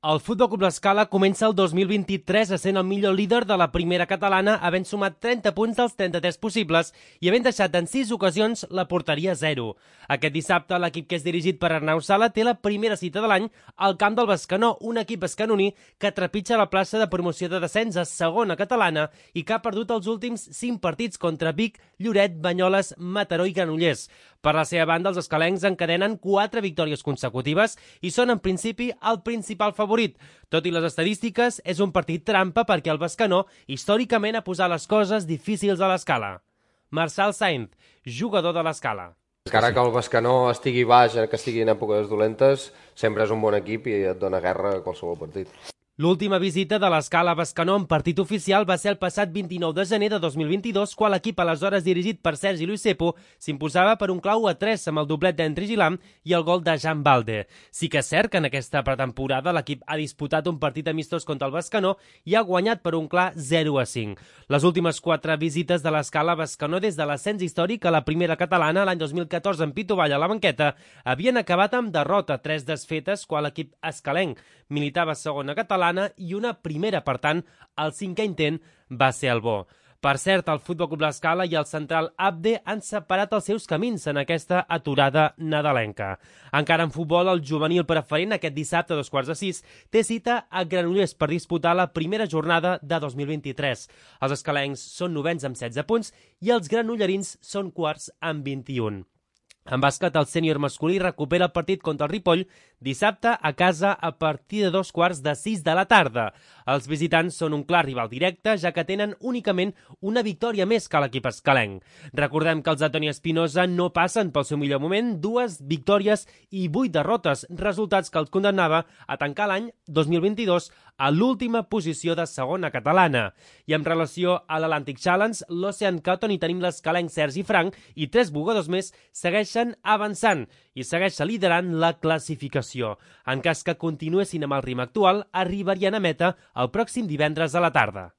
El Futbol Club L'Escala comença el 2023 essent el millor líder de la primera catalana, havent sumat 30 punts dels 33 possibles i havent deixat en 6 ocasions la porteria a 0. Aquest dissabte, l'equip que és dirigit per Arnau Sala té la primera cita de l'any al camp del Bescanó, un equip bescanoní que trepitja la plaça de promoció de descens a segona catalana i que ha perdut els últims 5 partits contra Vic, Lloret, Banyoles, Mataró i Granollers. Per la seva banda, els escalencs encadenen 4 victòries consecutives i són, en principi, el principal favorit. Tot i les estadístiques, és un partit trampa perquè el Bescanó històricament ha posat les coses difícils a l'Escala. Marçal Sainz, jugador de l'Escala. Encara que el Bescanó estigui baix, que estigui en èpoques dolentes, sempre és un bon equip i et dona guerra a qualsevol partit. L'última visita de l'Escala a Bescanó en partit oficial va ser el passat 29 de gener de 2022, quan l'equip aleshores dirigit per Sergi Luis Cepo s'imposava per un clau a 3 amb el doblet d'Henry Gilam i el gol de Jan Balde. Sí que és cert que en aquesta pretemporada l'equip ha disputat un partit amistós contra el Bescanó i ha guanyat per un clar 0-5. Les últimes 4 visites de l'Escala a Bescanó des de l'ascens històric a la primera catalana l'any 2014 en Pito Vall a la banqueta havien acabat amb derrota, 3 desfetes quan l'equip escalenc militava a segona catalana i una primera, per tant, el 5è intent va ser el bo. Per cert, el Futbol Club L'Escala i el central Abde han separat els seus camins en aquesta aturada nadalenca. Encara en futbol, el juvenil preferent aquest dissabte a 2:15 té cita a Granollers per disputar la primera jornada de 2023. Els escalencs són novens amb 16 punts i els granollerins són quarts amb 21. En bàsquet, el sènior masculí recupera el partit contra el Ripoll dissabte a casa a partir de 2:45 de la tarda. Els visitants són un clar rival directe, ja que tenen únicament una victòria més que l'equip escalenc. Recordem que els de Toni Espinosa no passen pel seu millor moment, 2 victòries i 8 derrotes, resultats que els condemnava a tancar l'any 2022 a l'última posició de segona catalana. I en relació a l'Atlantic Challenge, l'Ocean Cup, on hi tenim l'escalenc Sergi Frank i 3 jugadors més segueixen avançant i segueixen liderant la classificació. En cas que continuessin amb el ritme actual, arribarien a meta el pròxim divendres a la tarda.